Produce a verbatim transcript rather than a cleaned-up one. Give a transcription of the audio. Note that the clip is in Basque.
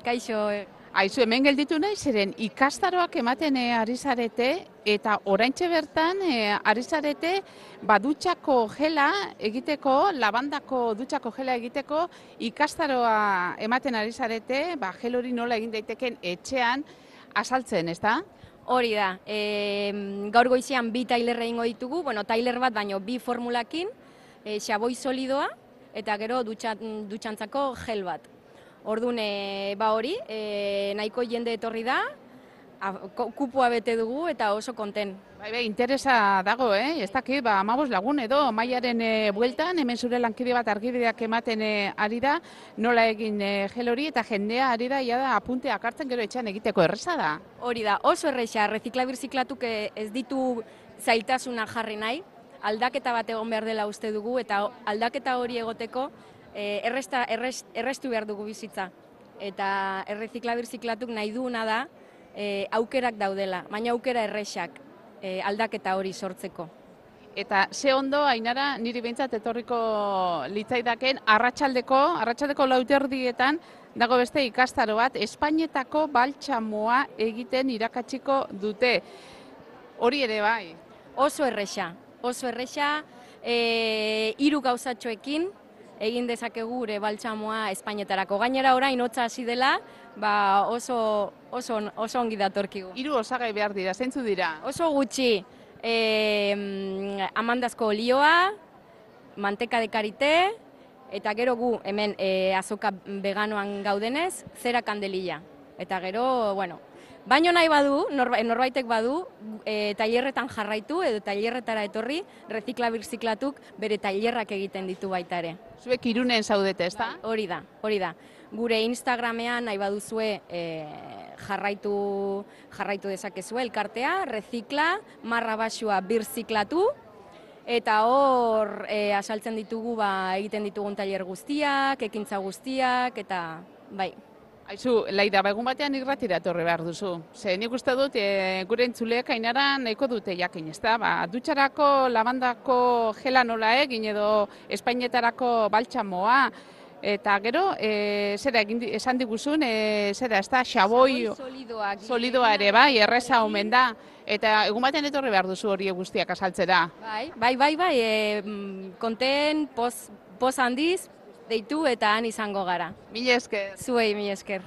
kaixo. Aizu, hemen gelditu nahi, zeren ikastaroak ematen eh, ari zarete, eta oraintxe bertan eh, ari zarete ba, dutxako gela egiteko, labandako dutxako gela egiteko ikastaroa ematen ari zarete, ba, gel hori nola egin daiteken etxean azaltzen, ezta? Hori da, e, gaur goizean bi tailer egingo ditugu, bueno, tailer bat baino bi formulakin, e, xaboi solidoa, eta gero dutxa, dutxantzako gel bat. Orduan, e, ba hori, e, nahiko jende etorri da, a, kupua bete dugu eta oso konten. Bai, bai, interesa dago, eh? Ez dakit, ba, amabos lagun edo, maiaren e, bueltan, hemen zure lankide bat argibideak ematen e, ari da, nola egin e, gel hori, eta jendea ari da, ia da, apunteak hartzen gero etxean egiteko erreza da. Hori da, oso erresa, reziklabirziklatuk ez ditu zailtasuna jarri nahi, aldaketa bat egon behar dela uste dugu, eta aldaketa hori egoteko e, erresta, errest, errestu behar dugu bizitza. Eta erreziklabirziklatuk nahi duena da, e, aukerak daudela, baina aukera erresak. E, aldaketa hori sortzeko. Eta ze ondo, Ainara, niri behintzat etorriko litzaidaken, arratsaldeko, arratsaldeko lauterdietan dago beste ikastaro bat, Espainetako baltsamoa egiten irakatsiko dute. Hori ere bai. Oso erresa, oso erresa, e, hiru gauzatxoekin egin dezakegu gure baltsamoa Espainetarako. Gainera orain hotza hasi dela, ba oso, oso, oso ongi datorkigu. Hiru osagai behar dira, zeintzu dira? Oso gutxi, e, amandazko olioa, manteka de karité, eta gero gu hemen e, azoka veganoan gaudenez, zera kandelilla. Eta gero, bueno, baino nahi badu, norbaitek badu, e, tailerretan jarraitu edo tailerretara etorri, reziklabirziklatuk bere tailerrak egiten ditu baita ere. Zuek Irunen zaudete, ezta? Hori da, hori da. Gure Instagramean nahi baduzue e, jarraitu, jarraitu dezakezue elkartea, rezikla, marra basua birziklatu, eta hor e, asaltzen ditugu ba, egiten ditugun tailer guztiak, ekintza guztiak, eta bai. Aizu, Laida, ba, egun batean irratira etorri behar duzu. Ze nik uste dut, e, gure entzuleak Ainara nahiko dute jakin, ezta? Ba, dutxarako, labandako gela nola egin edo Espainetarako baltsamoa, eta gero, e, zera, egin, esan diguzun, e, zera, ez da, xaboi solidoak, solidoa ere, bai, erreza omen da. Eta egun batean etorri behar duzu hori guztiak azaltzera. Bai, bai, bai, bai, e, konten, poz, poz handiz, deitu eta han izango gara. Mila esker. Zuei, mila esker.